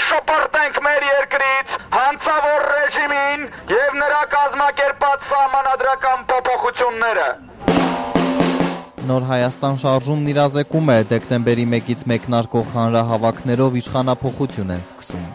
շպրտենք մեր երկրից հանցավոր ռեժիմին եւ նրա կազմակերպած սահմանադրական փոփոխությունները։ Նոր Հայաստան շարժումն իրազեկում է, դեկտեմբերի 1-ից մեկնարկող հանրահավաքներով իշխանափոխություն են սկսում։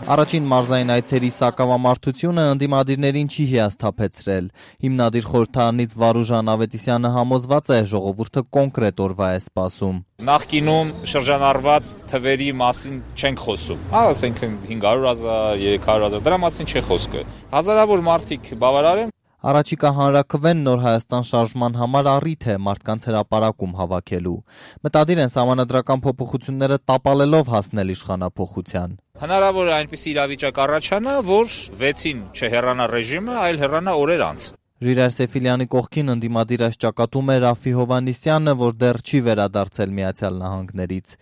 Առաջին մարզային այցերի սակավամարտությունը ընդդիմադիրներին չի հիասթափեցրել։ Հիմնադիր խորհրդարանից Վարուժան Ավետիսյանը համոզված է, ժողովուրդը կոնկրետ օրվա է սպասում։ Նախկինում շրջանառված թվերի մասին չենք խոսում։ Ասենք 500,000, 300,000, դրա մասին չի խոսքը։ Հազարավոր մարդիկ բավարար են։ Առաջիկա հանրաքվեն Նոր Հայաստան շարժման համար առիթ է մարդկանց հրապարակում հավաքելու։ Մտադիր են սահմանադրական փոփոխությունները տապալելով հասնել իշխանափոխության։ Հնարավոր է այնպիսի իրավիճակ առաջանա, որ 6-ին չհեռանա ռեժիմը, այլ հեռանա օրեր անց։ Ժիրայր Սեֆիլյանի կողքին ընդդիմադիր այս ճակատում է Ռաֆի Հովհաննիսյանը, որ դեռ չի վերադարձել Միացյալ Նահանգներից։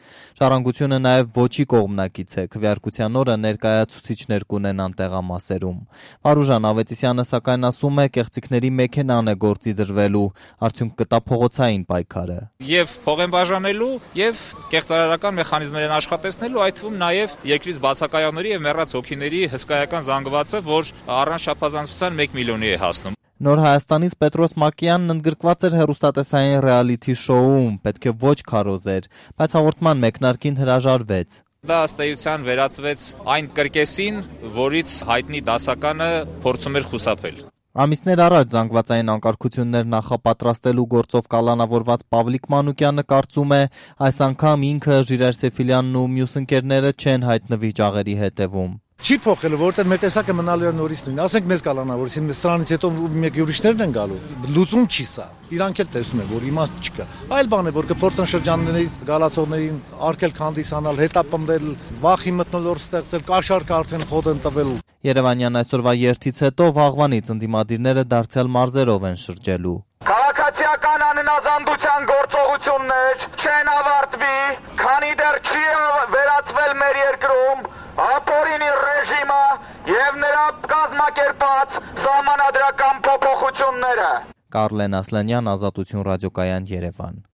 Ժառանգությունը նաև ոչի կողմնակից է, քվեարկության օրը ներկայացուցիչներ կունենան տեղամասերում։ Վարուժան Ավետիսյանը սակայն ասում է, կեղծիքների մեքենան է գործի դրվելու, արդյունք կտա փողոցային պայքարը։ Եվ փող են բաժանելու, եւ կեղծարարական մեխանիզմներ են աշխատեցնելու, այդ թվում նաև երկրից բացակայողների եւ մեռած հոգիների հսկայական զանգվածը, որ առանց չափազանցության 1 միլիոնի է հասնում։ Նոր Հայաստանից Պետրոս Մակյանն ընդգրկված էր հեռուստատեսային ռեալիթի շոուում, պետք է ոչ քարոզեր, բայց հաղորդման մեկնարկին հրաժարվեց։ Դա ըստ էության վերածվեց այն կրկեսին, որից հայտնի դասականը փորձում էր խուսափել։ Ամիսներ առաջ զանգվածային անկարգություններ նախապատրաստելու գործով կալանավորված Պավլիկ Մանուկյանը կարծում է, այս անգամ ինքը Ժիրայր Սեֆիլյանն ու մյուս ընկերները չեն հայտնվի ճաղերի հետևում։ Չի փոխել, որտեղ մեր տեսակը մնալու է նորից նույն։ Ասենք մեզ կալանավորեցին, մեզ սրանից հետո մեկ ուրիշներն են գալու։ Լուծում չի սա։ Իրանք էլ տեսնում են, որ իմաստ չկա։ Այլ բան է, որ կփորձեն շրջաններից գալացողներին արկել քանդիսանալ, հետապնդել, վախի մթնոլորտ ստեղծել, կաշառք արդեն խոդ են տվել։ Երևանյան այսօրվա երթից հետո վաղվանից ընդդիմադիրները դարձյալ մարզերով են շրջելու։ Քաղաքացիական անհնազանդության գործողություններ չեն ավարտվի, քանի դեռ չի վերացվել մեր երկրում ապօրինի ռեժիմը եւ նրա կազմակերպած սահմանադրական փոփոխությունները։ Կարլեն Ասլանյան, Ազատություն ռադիոկայան, Երևան։